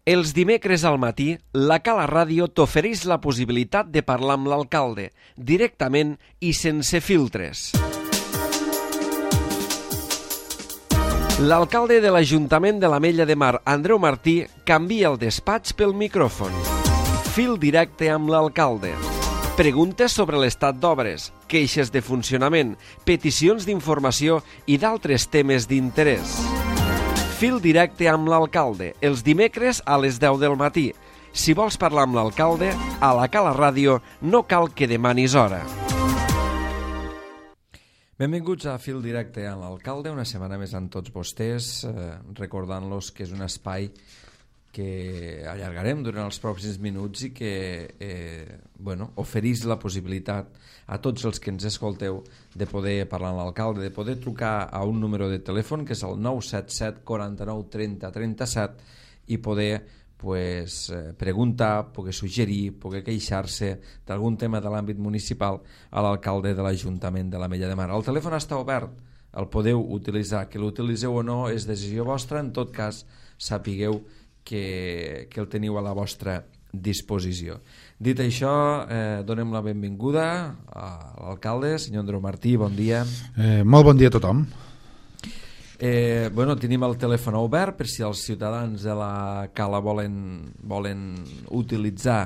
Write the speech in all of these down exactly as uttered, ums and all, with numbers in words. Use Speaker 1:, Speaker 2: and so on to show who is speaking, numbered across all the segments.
Speaker 1: Els dimecres al matí, la Cala Ràdio t'ofereix la possibilitat de parlar amb l'alcalde, directament i sense filtres. L'alcalde de l'Ajuntament de l'Ametlla de Mar, Andreu Martí, canvia el despatx pel micròfon. Fil directe amb l'alcalde. Preguntes sobre l'estat d'obres, queixes de funcionament, peticions d'informació i d'altres temes d'interès. Fil directe amb l'alcalde, els dimecres a les deu del matí. Si vols parlar amb l'alcalde, a la Cala Ràdio no cal que demanis hora. Benvinguts a Fil directe amb l'alcalde, una setmana més amb tots vostès, eh, recordant-los que és un espai que allargarem durant els pròxims minuts i que eh, bueno, oferís la possibilitat a tots els que ens escolteu de poder parlar amb l'alcalde, de poder trucar a un número de telèfon que és el nou set set quaranta-nou trenta trenta-set i poder pues, preguntar, poder suggerir, poder queixar-se d'algun tema de l'àmbit municipal a l'alcalde de l'Ajuntament de l'Ametlla de Mar. El telèfon està obert, el podeu utilitzar, que l'utilitzeu o no és decisió vostra, en tot cas sapigueu que, que el teniu a la vostra disposició. Dit això, eh, donem la benvinguda a l'alcalde, senyor Andreu Martí, bon dia.
Speaker 2: Eh, molt bon dia a tothom.
Speaker 1: Eh, bueno, tenim el telèfon obert per si els ciutadans de la Cala volen, volen utilitzar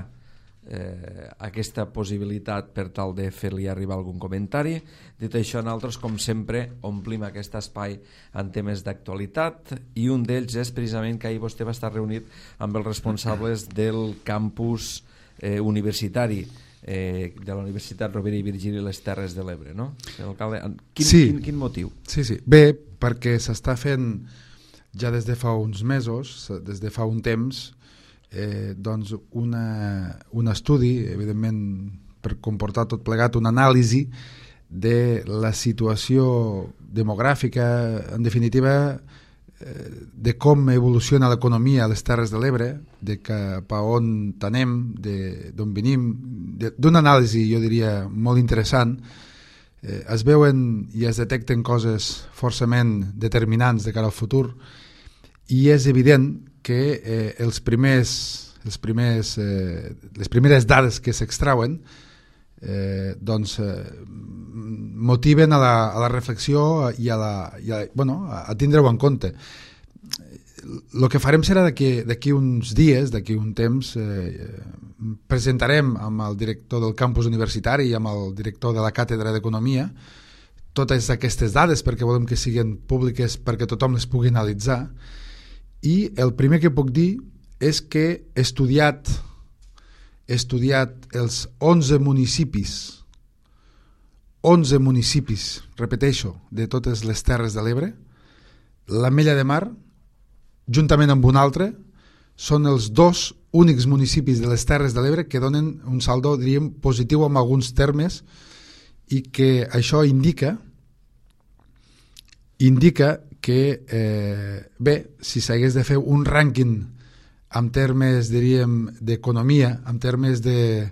Speaker 1: eh, aquesta possibilitat per tal de fer-li arribar algun comentari. Dit això, nosaltres, com sempre, omplim aquest espai en temes d'actualitat i un d'ells és precisament que ahir vostè va estar reunit amb els responsables del campus eh, universitari eh, de la Universitat Rovira i Virgili i les Terres de l'Ebre, no? Alcalde, quin,
Speaker 2: sí.
Speaker 1: quin, quin motiu?
Speaker 2: Sí, sí. Bé, perquè s'està fent ja des de fa uns mesos, des de fa un temps, eh, doncs una, un estudi, evidentment per comportar tot plegat, una anàlisi de la situació demogràfica, en definitiva, eh, de com evoluciona l'economia a les Terres de l'Ebre, de cap a on anem, d'on venim, d'una anàlisi, jo diria, molt interessant. Eh, es veuen i es detecten coses forçament determinants de cara al futur i és evident que eh, els primers, els primers, eh, les primeres dades que s'extrauen eh, doncs, eh, motiven a la, a la reflexió i, a, la, i a, bueno, a, a tindre-ho en compte. El que farem serà d'aquí uns dies, d'aquí un temps, eh, presentarem amb el director del campus universitari i amb el director de la càtedra d'Economia totes aquestes dades perquè volem que siguin públiques perquè tothom les pugui analitzar. I el primer que puc dir és que he estudiat, he estudiat els onze municipis, onze municipis, repeteixo, de totes les Terres de l'Ebre. L'Ametlla de Mar, juntament amb un altre, són els dos únics municipis de les Terres de l'Ebre que donen un saldo, diríem, positiu en alguns termes i que això indica indica que, eh, bé, si s'hagués de fer un rànquing en termes, diríem, d'economia, en termes de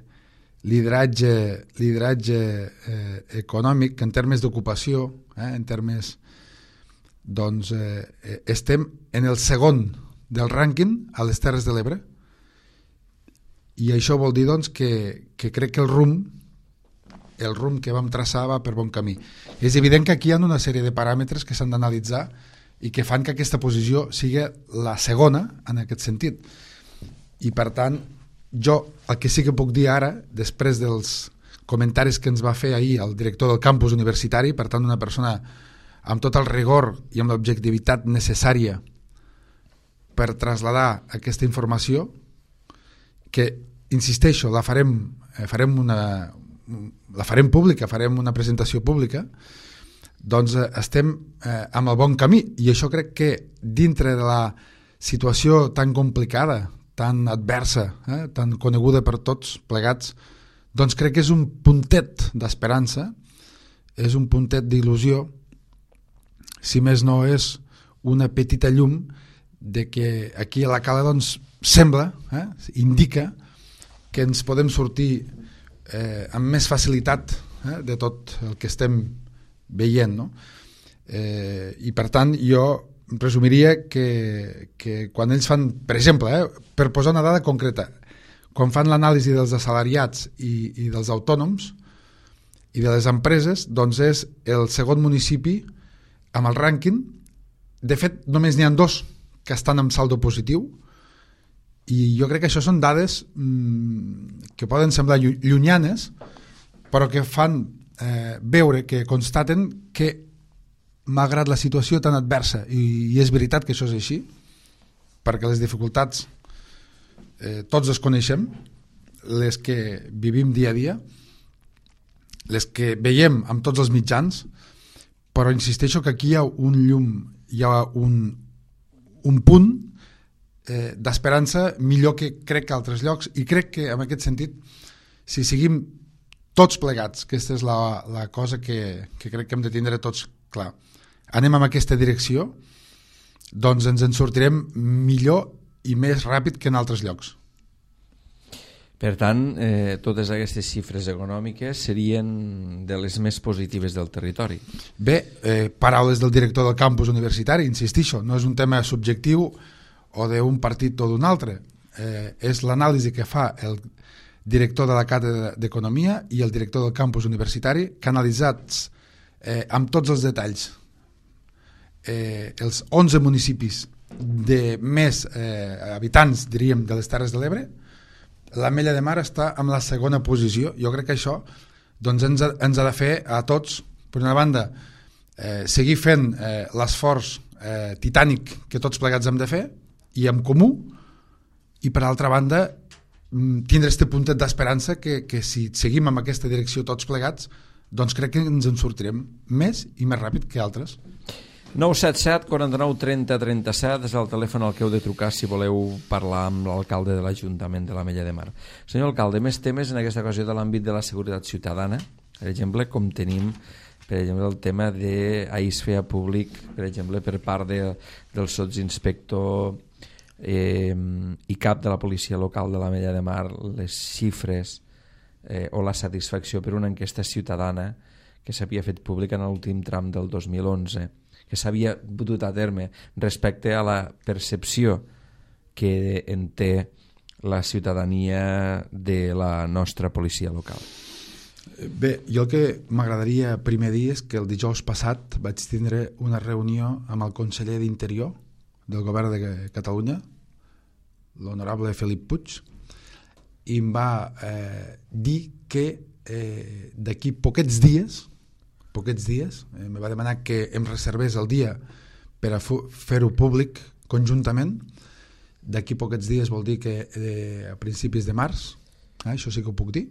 Speaker 2: lideratge, lideratge eh, econòmic, en termes d'ocupació, eh, en termes... doncs eh, estem en el segon del rànquing a les Terres de l'Ebre i això vol dir doncs, que, que crec que el rumb el rumb que vam traçar va per bon camí. És evident que aquí hi ha una sèrie de paràmetres que s'han d'analitzar i que fan que aquesta posició sigui la segona en aquest sentit. I per tant, jo el que sí que puc dir ara, després dels comentaris que ens va fer ahir el director del campus universitari, per tant una persona amb tot el rigor i amb l'objectivitat necessària per traslladar aquesta informació, que, insisteixo, la farem, eh, farem una, la farem pública, farem una presentació pública, doncs eh, estem eh, amb el bon camí. I això crec que dintre de la situació tan complicada, tan adversa, eh, tan coneguda per tots plegats, doncs crec que és un puntet d'esperança, és un puntet d'il·lusió, si més no és una petita llum de que aquí a la Cala doncs, sembla, eh, indica que ens podem sortir eh, amb més facilitat eh, de tot el que estem veient, no? Eh, I per tant jo resumiria que, que quan ells fan, per exemple, eh, per posar una dada concreta, quan fan l'anàlisi dels assalariats i, i dels autònoms i de les empreses, doncs és el segon municipi amb el rànquing. De fet, només n'hi ha dos que estan amb saldo positiu, i jo crec que això són dades mmm, que poden semblar llunyanes, però que fan eh, veure, que constaten que malgrat la situació tan adversa, i, i és veritat que això és així, perquè les dificultats eh, tots les coneixem, les que vivim dia a dia, les que veiem amb tots els mitjans, però insisteixo que aquí hi ha un llum, hi ha un, un punt eh, d'esperança millor que crec que altres llocs, i crec que en aquest sentit, si seguim tots plegats, que aquesta és la, la cosa que, que crec que hem de tindre tots clar, anem en aquesta direcció, doncs ens en sortirem millor i més ràpid que en altres llocs.
Speaker 1: Per tant, eh, totes aquestes xifres econòmiques serien de les més positives del territori.
Speaker 2: Bé, eh, paraules del director del campus universitari, insistixo, no és un tema subjectiu o d'un partit o d'un altre, eh, és l'anàlisi que fa el director de la càtedra d'Economia i el director del campus universitari, canalitzats eh, amb tots els detalls. Eh, els onze municipis de més eh, habitants, diríem, de les Terres de l'Ebre, l'Ametlla de Mar està en la segona posició. Jo crec que això doncs, ens, ha, ens ha de fer a tots, per una banda, eh, seguir fent eh, l'esforç eh, titànic que tots plegats hem de fer, i en comú, i per altra banda tindre aquest puntet d'esperança que, que si seguim en aquesta direcció tots plegats, doncs crec que ens en sortirem més i més ràpid que altres.
Speaker 1: nou set set, quaranta-nou, trenta, trenta-set és el telèfon al que heu de trucar si voleu parlar amb l'alcalde de l'Ajuntament de l'Ametlla de Mar. Senyor alcalde, més temes en aquesta ocasió de l'àmbit de la seguretat ciutadana, per exemple, com tenim per exemple el tema d'ahir es feia públic, per exemple, per part de, del sotsinspector eh, i cap de la policia local de l'Ametlla de Mar, les xifres eh, o la satisfacció per una enquesta ciutadana que s'havia fet pública en l'últim tram del dos mil onze, que s'havia dut a terme respecte a la percepció que en té la ciutadania de la nostra policia local.
Speaker 2: Bé, jo el que m'agradaria primer dir és que el dijous passat vaig tindre una reunió amb el conseller d'Interior del govern de Catalunya, l'honorable Felip Puig, i em va eh, dir que eh, d'aquí poquets dies poquets dies, eh, me va demanar que em reservés el dia per a fer-ho públic conjuntament. D'aquí poquets dies vol dir que eh, a principis de març, eh, això sí que ho puc dir,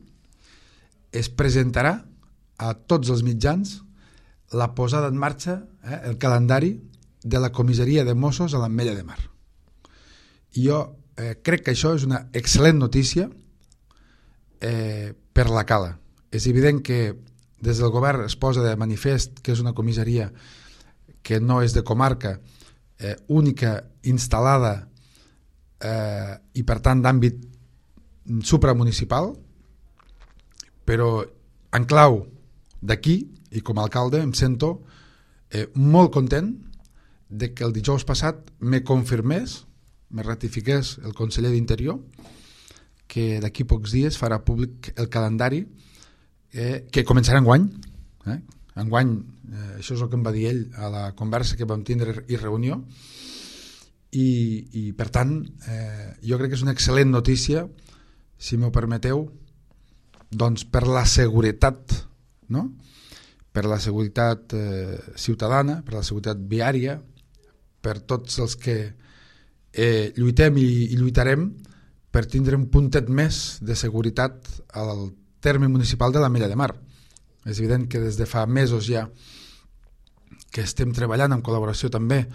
Speaker 2: es presentarà a tots els mitjans la posada en marxa, eh, el calendari de la comissaria de Mossos a l'Ametlla de Mar. I jo eh, crec que això és una excel·lent notícia eh, per la Cala. És evident que des del govern es posa de manifest que és una comissaria que no és de comarca, eh, única, instal·lada eh, i per tant d'àmbit supramunicipal, però en clau d'aquí, i com a alcalde em sento eh, molt content de que el dijous passat me confirmés, me ratifiqués el conseller d'Interior que d'aquí pocs dies farà públic el calendari Eh, que començarà enguany eh? enguany, eh, això és el que em va dir ell a la conversa que vam tindre i reunió, i, i per tant eh, jo crec que és una excel·lent notícia, si m'ho permeteu, doncs per la seguretat, no? Per la seguretat eh, ciutadana, per la seguretat viària, per tots els que eh, lluitem i, i lluitarem per tindre un puntet més de seguretat al terme municipal de l'Ametlla de Mar. És evident que des de fa mesos ja que estem treballant en col·laboració també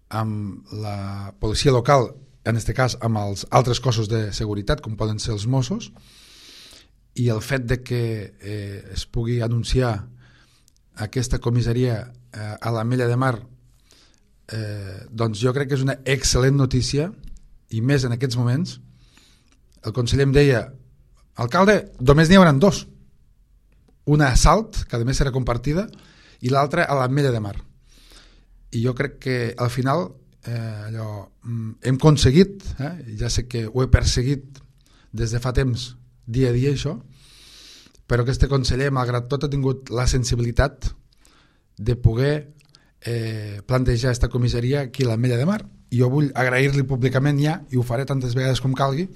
Speaker 2: amb la policia local, en aquest cas amb els altres cossos de seguretat com poden ser els Mossos, i el fet de que eh, es pugui anunciar aquesta comissaria eh, a l'Ametlla de Mar, eh, doncs jo crec que és una excel·lent notícia, i més en aquests moments. El conseller em deia: alcalde, només n'hi haurà dos, una a Salt, que a més serà compartida, i l'altra a l'Ametlla de Mar. i jo crec que al final eh, allò, hem aconseguit, eh, ja sé que ho he perseguit des de fa temps, dia a dia això, però aquest conseller, malgrat tot, ha tingut la sensibilitat de poder eh, plantejar aquesta comissaria aquí a l'Ametlla de Mar. I jo vull agrair-li públicament ja, i ho faré tantes vegades com calgui,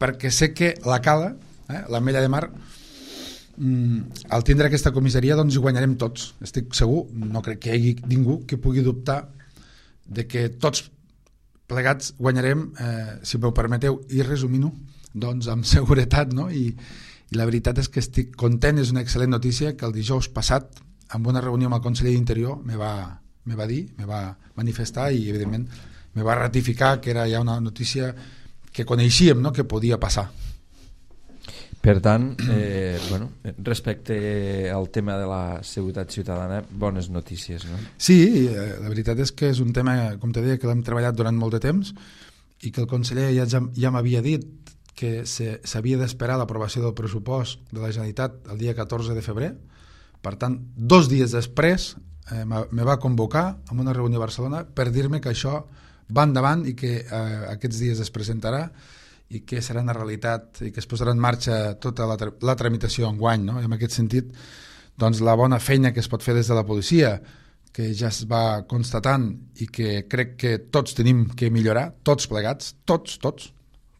Speaker 2: perquè sé que la Cala, eh, l'Ametlla de Mar, mm, al tindre aquesta comissaria doncs hi guanyarem tots. Estic segur, no crec que hi hagi ningú que pugui dubtar de que tots plegats guanyarem, eh, si m'ho permeteu, i resumint-ho, doncs amb seguretat, no? I, i la veritat és que estic content, és una excel·lent notícia que el dijous passat, amb una reunió amb el conseller d'Interior, me va, me va dir, me va manifestar i evidentment me va ratificar que era ja una notícia que coneixíem, no?, que podia passar.
Speaker 1: Per tant, eh, bueno, respecte al tema de la seguretat ciutadana, bones notícies, no?
Speaker 2: Sí, eh, la veritat és que és un tema, com te deia, que l'hem treballat durant molt de temps i que el conseller ja, ja m'havia dit que s'havia d'esperar l'aprovació del pressupost de la Generalitat el dia catorze de febrer. Per tant, dos dies després eh, me va convocar a una reunió a Barcelona per dir-me que això va endavant i que eh, aquests dies es presentarà i que serà una realitat i que es posarà en marxa tota la, la tramitació enguany, no? I en aquest sentit, doncs, la bona feina que es pot fer des de la policia, que ja es va constatant i que crec que tots tenim que millorar, tots plegats, tots, tots,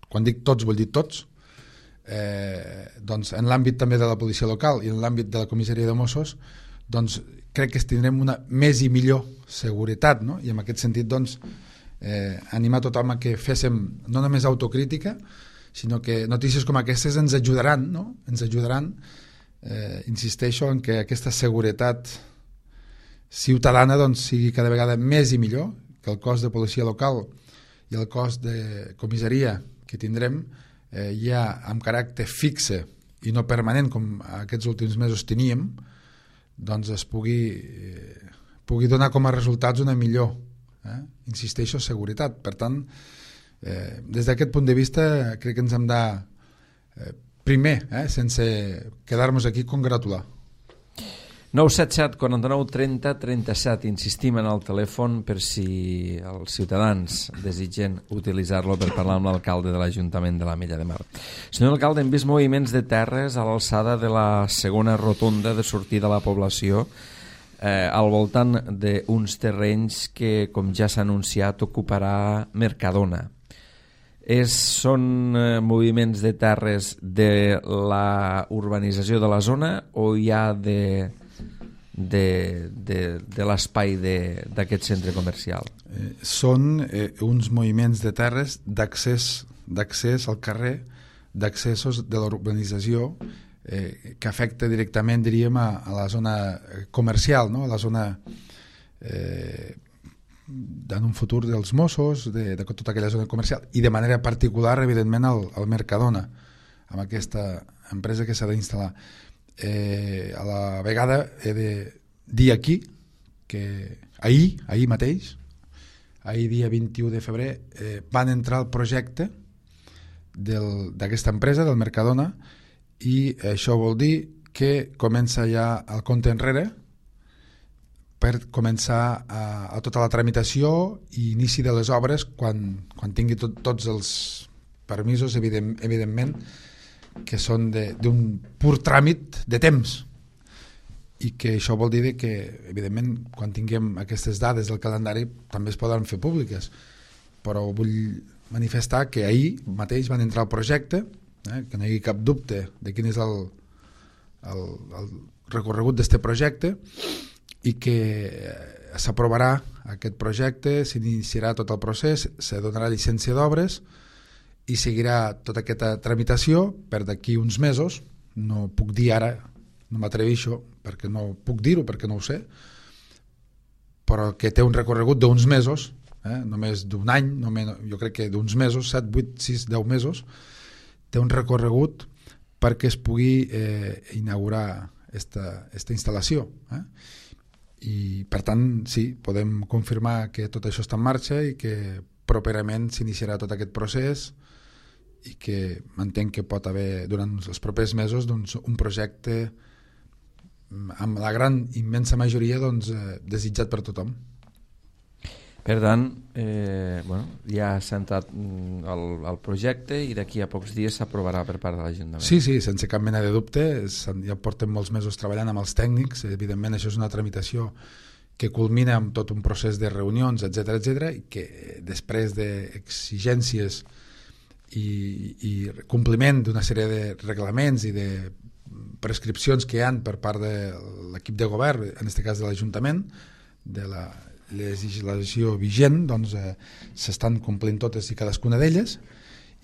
Speaker 2: quan dic tots vull dir tots, eh, doncs en l'àmbit també de la policia local i en l'àmbit de la comissaria de Mossos, doncs crec que tindrem una més i millor seguretat, no? I en aquest sentit, doncs, eh, animar tothom a que féssim no només autocrítica, sinó que notícies com aquestes ens ajudaran, no? Ens ajudaran, eh, insisteixo en que aquesta seguretat ciutadana doncs, sigui cada vegada més i millor, que el cos de policia local i el cos de comissaria que tindrem eh, ja amb caràcter fixe i no permanent com aquests últims mesos teníem, doncs es pugui, eh, pugui donar com a resultats una millor, eh? insisteixo, seguretat. Per tant, eh, des d'aquest punt de vista crec que ens hem de eh, primer, eh, sense quedar-nos aquí, congratular.
Speaker 1: nou set set, quaranta-nou, trenta, trenta-set. Insistim en el telèfon per si els ciutadans desitgen utilitzar-lo per parlar amb l'alcalde de l'Ajuntament de l'Ametlla de Mar. Senyor alcalde, hem vist moviments de terres a l'alçada de la segona rotonda de sortida a la població eh, al voltant d'uns terrenys que, com ja s'ha anunciat, ocuparà Mercadona. És, són eh, moviments de terres de la urbanització de la zona o hi ha de... de, de, de l'espai d'aquest centre comercial?
Speaker 2: Eh, són eh, uns moviments de terres d'accés d'accés al carrer, d'accessos de l'urbanització eh, que afecta directament, diríem, a, a la zona comercial, no? A la zona eh, en un futur dels Mossos, de, de tota aquella zona comercial, i de manera particular, evidentment, al, al Mercadona, amb aquesta empresa que s'ha d'instal·lar. Eh, a la vegada he de dir aquí que ahir, ahir mateix, ahir dia vint-i-u de febrer, eh, van entrar al projecte d'aquesta empresa, del Mercadona, i això vol dir que comença ja el compte enrere per començar a, a tota la tramitació i inici de les obres quan, quan tingui tot, tots els permisos, evident, evidentment, que són d'un pur tràmit de temps, i que això vol dir que, evidentment, quan tinguem aquestes dades del calendari també es poden fer públiques, però vull manifestar que ahir mateix van entrar al projecte, eh, que no hi hagi cap dubte de quin és el, el, el recorregut d'aquest projecte, i que s'aprovarà aquest projecte, s'iniciarà tot el procés, se donarà llicència d'obres i seguirà tota aquesta tramitació per d'aquí uns mesos. No puc dir ara, no m'atreveixo perquè no puc dir-ho, perquè no ho sé, però que té un recorregut d'uns mesos, eh? només d'un any, només, jo crec que d'uns mesos, set, vuit, sis, deu mesos, té un recorregut perquè es pugui eh, inaugurar esta, esta instal·lació. Eh? I per tant, sí, podem confirmar que tot això està en marxa i que properament s'iniciarà tot aquest procés, i que entenc que pot haver durant els propers mesos doncs, un projecte amb la gran immensa majoria doncs, eh, desitjat per tothom.
Speaker 1: Per tant, eh, bueno, ja s'ha entrat el, el projecte i d'aquí a pocs dies s'aprovarà per part de l'Ajuntament.
Speaker 2: Sí, sí, sense cap mena de dubte. Ja portem molts mesos treballant amb els tècnics. Evidentment, això és una tramitació que culmina amb tot un procés de reunions, etcètera, etcètera, i que després d'exigències i, i compliment d'una sèrie de reglaments i de prescripcions que hi ha per part de l'equip de govern, en aquest cas de l'Ajuntament, de la legislació vigent, doncs eh, s'estan complint totes i cadascuna d'elles,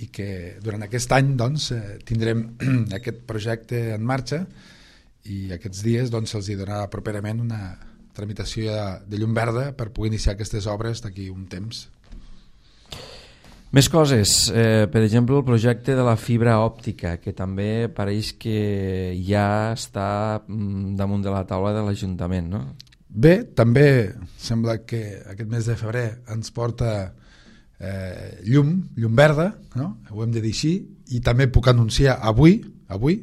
Speaker 2: i que durant aquest any doncs, eh, tindrem aquest projecte en marxa, i aquests dies doncs, se'ls donarà properament una tramitació de, de llum verda per poder iniciar aquestes obres d'aquí un temps.
Speaker 1: Més coses, eh, per exemple el projecte de la fibra òptica, que també pareix que ja està damunt de la taula de l'Ajuntament, no?
Speaker 2: Bé, també sembla que aquest mes de febrer ens porta eh, llum, llum verda, no? Ho hem de dir així, i també puc anunciar avui, avui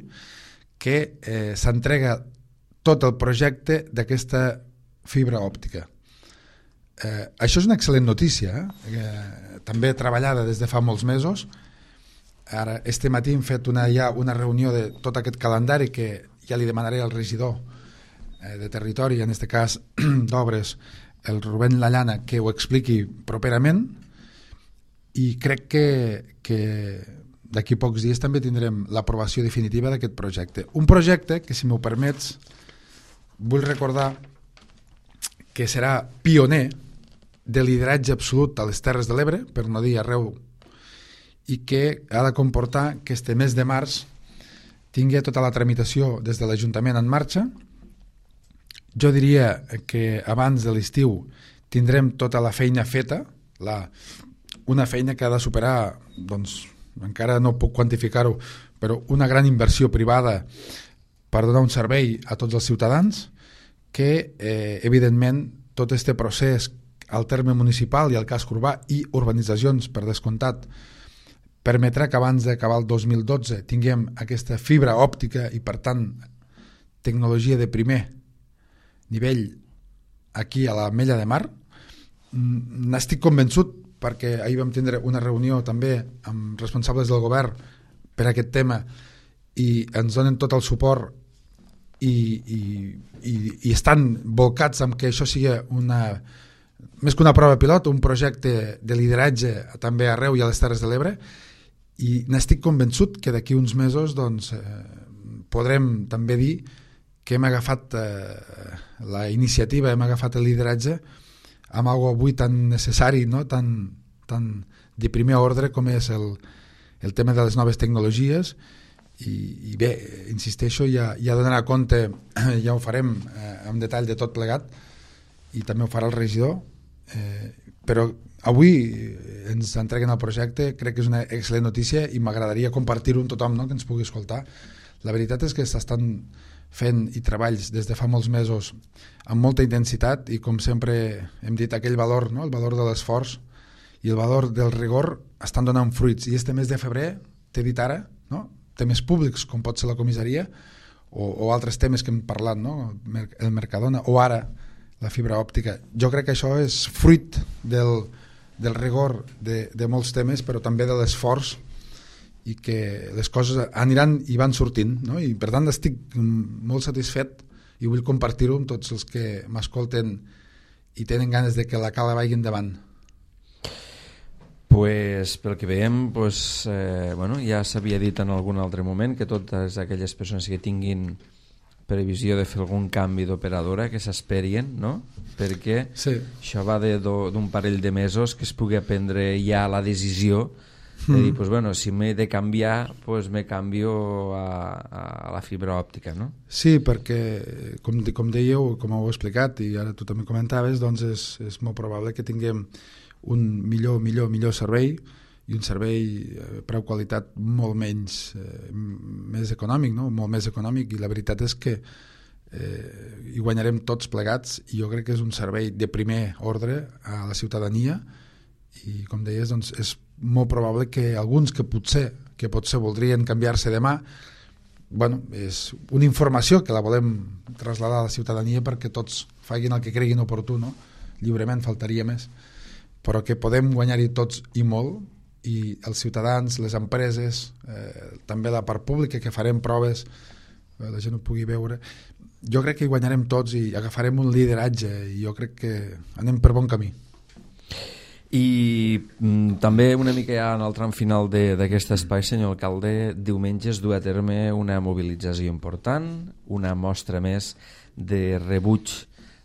Speaker 2: que eh, s'entrega tot el projecte d'aquesta fibra òptica. Eh, això és una excel·lent notícia, eh? També treballada des de fa molts mesos. Ara, este matí hem fet una, ja una reunió de tot aquest calendari que ja li demanaré al regidor de territori, en aquest cas d'obres, el Rubén Lallana, que ho expliqui properament, i crec que, que d'aquí pocs dies també tindrem l'aprovació definitiva d'aquest projecte. Un projecte que, si m'ho permets, vull recordar que serà pioner de lideratge absolut a les Terres de l'Ebre, per no dir arreu, i que ha de comportar que este mes de març tingui tota la tramitació des de l'Ajuntament en marxa. Jo diria que abans de l'estiu tindrem tota la feina feta, la, una feina que ha de superar, doncs, encara no puc quantificar-ho, però una gran inversió privada per donar un servei a tots els ciutadans, que eh, evidentment tot este procés al terme municipal i al casc urbà i urbanitzacions, per descomptat, permetrà que abans d'acabar el dos mil dotze tinguem aquesta fibra òptica i, per tant, tecnologia de primer nivell aquí a l'Ametlla de Mar. N'estic convençut, perquè ahir vam tindre una reunió també amb responsables del govern per aquest tema i ens donen tot el suport i, i, i, i estan volcats amb que això sigui una, més que una prova pilot, un projecte de lideratge també arreu i a les Terres de l'Ebre, i n'estic convençut que d'aquí uns mesos doncs, eh, podrem també dir que hem agafat eh, la iniciativa, hem agafat el lideratge amb algo avui tan necessari, no? tan, tan de primer ordre com és el, el tema de les noves tecnologies, i, i bé, insisteixo, ja, ja donarà compte, ja ho farem eh, en detall de tot plegat, i també ho farà el regidor, eh, però avui ens entreguen el projecte, crec que és una excel·lent notícia i m'agradaria compartir-ho amb tothom, no? Que ens pugui escoltar. La veritat és que s'estan fent i treballs des de fa molts mesos amb molta intensitat, i com sempre hem dit, aquell valor, no? El valor de l'esforç i el valor del rigor estan donant fruits, i este mes de febrer, t'he dit ara, no? Temes públics com pot ser la comissaria o, o altres temes que hem parlat, no? El Mercadona o ara la fibra òptica. Jo crec que això és fruit del, del rigor de, de molts temes, però també de l'esforç, i que les coses aniran i van sortint, no? I per tant estic molt satisfet i vull compartir-ho amb tots els que m'escolten i tenen ganes de que la cala vagi endavant.
Speaker 1: Pues, pel que veiem, pues, eh, bueno, ja s'havia dit en algun altre moment que totes aquelles persones que tinguin previsió de fer algun canvi d'operadora que s'esperien, no? Perquè
Speaker 2: sí.
Speaker 1: Això va d'un parell de mesos que es pugui prendre ja la decisió de dir, pues bueno, si m'he de canviar, pues me canvio a, a la fibra òptica, no?
Speaker 2: Sí, perquè, com, com dèieu, com heu explicat, i ara tu també comentaves, doncs és, és molt probable que tinguem un millor, millor, millor servei, i un servei eh, preu qualitat molt menys, eh, més econòmic, no? Molt més econòmic, i la veritat és que eh, hi guanyarem tots plegats, i jo crec que és un servei de primer ordre a la ciutadania, i com deies, doncs és molt probable que alguns que potser que potser voldrien canviar-se demà, bueno, és una informació que la volem traslladar a la ciutadania perquè tots facin el que creguin oportú, no? Lliurement, faltaria més. però que podem guanyar-hi tots i molt, i els ciutadans, les empreses, eh, també la part pública, que farem proves, eh, la gent ho pugui veure. Jo crec que hi guanyarem tots i agafarem un lideratge, i jo crec que anem per bon camí.
Speaker 1: I mm, també una mica ja en el tram final d'aquest espai, senyor alcalde, diumenge es du a terme una mobilització important, una mostra més de rebuig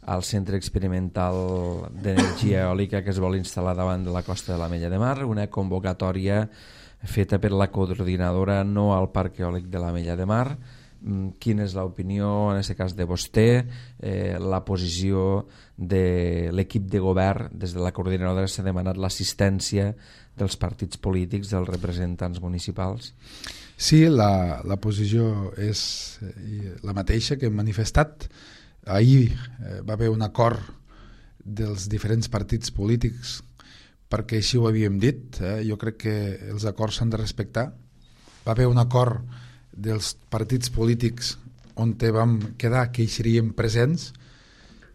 Speaker 1: al Centre Experimental d'Energia Eòlica que es vol instal·lar davant de la costa de l'Ametlla de Mar, una convocatòria feta per la coordinadora No al Parc Eòlic de l'Ametlla de Mar. Quina és l'opinió, en aquest cas, de vostè, eh, la posició de l'equip de govern? Des de la coordinadora s'ha demanat l'assistència dels partits polítics, dels representants municipals.
Speaker 2: Sí, la, la posició és la mateixa que hem manifestat. Ahir eh, va haver un acord dels diferents partits polítics, perquè així ho havíem dit, eh? Jo crec que els acords s'han de respectar. Va haver un acord dels partits polítics on vam quedar que hi seríem presents,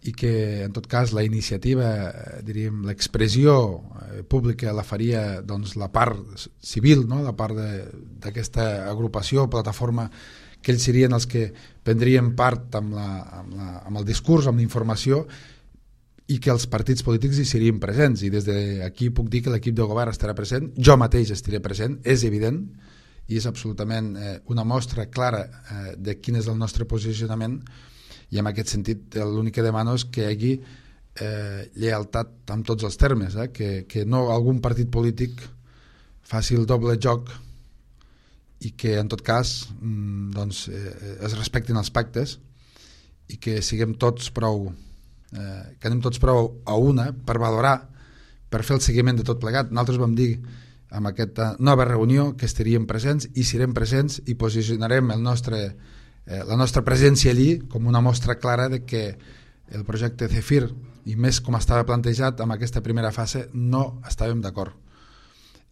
Speaker 2: i que en tot cas la iniciativa, diríem, l'expressió eh, pública la faria doncs, la part civil, no? La part d'aquesta agrupació, plataforma, que ells serien els que prendrien part amb, la, amb, la, amb el discurs, amb la informació, i que els partits polítics hi serien presents. I des d'aquí puc dir que l'equip de govern estarà present, jo mateix estaré present, és evident, i és absolutament eh, una mostra clara eh, de quin és el nostre posicionament, i en aquest sentit l'únic que demano és que hi hagi eh, lleialtat en tots els termes, eh? que, que no algun partit polític faci el doble joc, i que en tot cas doncs, eh, es respectin els pactes, i que siguem tots prou eh, que anem tots prou a una per valorar, per fer el seguiment de tot plegat. Nosaltres vam dir en aquesta nova reunió que estaríem presents, i serem presents, i posicionarem el nostre, eh, la nostra presència allí com una mostra clara de que el projecte Zefir, i més com estava plantejat en aquesta primera fase, no estàvem d'acord.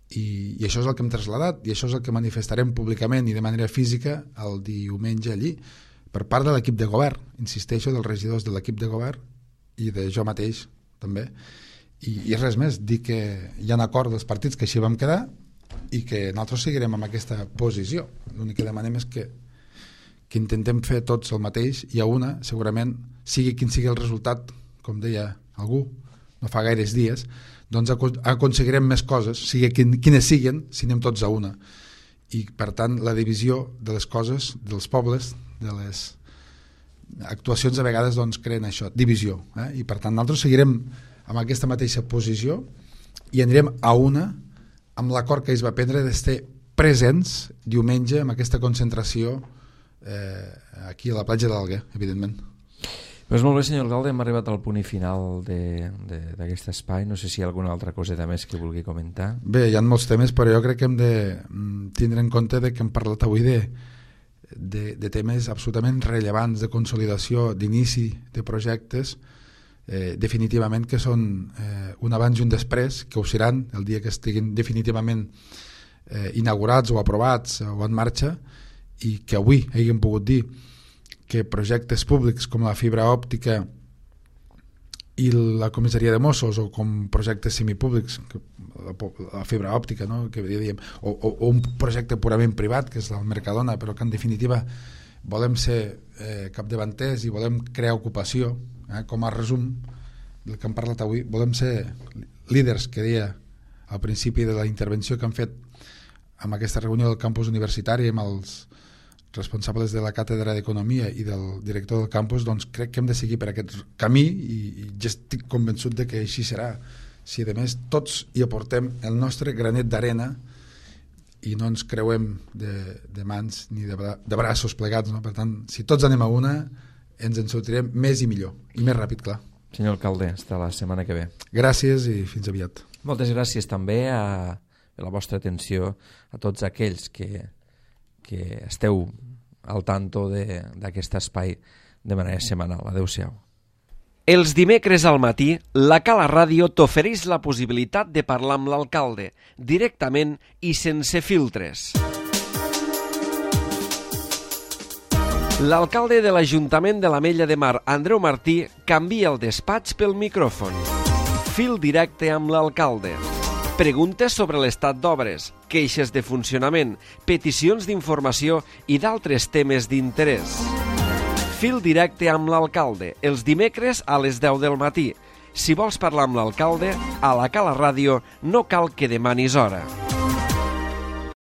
Speaker 2: I, i això és el que hem traslladat, i això és el que manifestarem públicament i de manera física el diumenge allí, per part de l'equip de govern, insisteixo, dels regidors de l'equip de govern i de jo mateix també, i, i res més, dir que hi ha un acord dels partits que així vam quedar i que nosaltres seguirem amb aquesta posició. L'únic que demanem és que, que intentem fer tots el mateix, i a una, segurament, sigui quin sigui el resultat, com deia algú no fa gaires dies, doncs aconseguirem més coses, sigui quines siguin, si anem tots a una. I per tant la divisió de les coses, dels pobles, de les actuacions a vegades doncs creen això, divisió, eh? I per tant nosaltres seguirem amb aquesta mateixa posició i anirem a una amb l'acord que es va prendre d'estar presents diumenge amb aquesta concentració eh, aquí a la platja d'Alguer, evidentment.
Speaker 1: Pues molt bé, senyor alcalde, hem arribat al punt i final d'aquest espai. No sé si hi ha alguna altra coseta més que vulgui comentar.
Speaker 2: Bé, hi ha molts temes, però jo crec que hem de tindre en compte de que hem parlat avui de, de, de temes absolutament rellevants de consolidació, d'inici de projectes, eh, definitivament que són eh, un abans i un després, que ho seran el dia que estiguin definitivament eh, inaugurats o aprovats o en marxa, i que avui haguem pogut dir que projectes públics com la fibra òptica i la comissaria de Mossos, o com projectes semipúblics, la, la fibra òptica, no? Que diem, o, o, o un projecte purament privat, que és el Mercadona, però que en definitiva volem ser eh, capdavanters i volem crear ocupació, eh? Com a resum del que hem parlat avui, volem ser líders, que deia al principi de la intervenció que han fet amb aquesta reunió del campus universitari amb els responsables de la càtedra d'Economia i del director del campus. Doncs crec que hem de seguir per aquest camí, i, i ja estic convençut de que així serà, si a més tots hi aportem el nostre granet d'arena i no ens creuem de, de mans ni de, bra de braços plegats, no? Per tant, si tots anem a una, ens en sortirem més i millor, i més ràpid, clar.
Speaker 1: Senyor alcalde, hasta la setmana que ve.
Speaker 2: Gràcies i fins aviat.
Speaker 1: Moltes gràcies també a, a la vostra atenció, a tots aquells que que esteu al tanto d'aquest espai de manera setmanal. Adéu-siau.
Speaker 3: Els dimecres al matí, la Cala Ràdio t'ofereix la possibilitat de parlar amb l'alcalde, directament i sense filtres. L'alcalde de l'Ajuntament de l'Ametlla de Mar, Andreu Martí, canvia el despatx pel micròfon. Fil directe amb l'alcalde. Preguntes sobre l'estat d'obres, queixes de funcionament, peticions d'informació i d'altres temes d'interès. Fil directe amb l'alcalde, els dimecres a les deu del matí. Si vols parlar amb l'alcalde, a la Cala Ràdio no cal que demanis hora.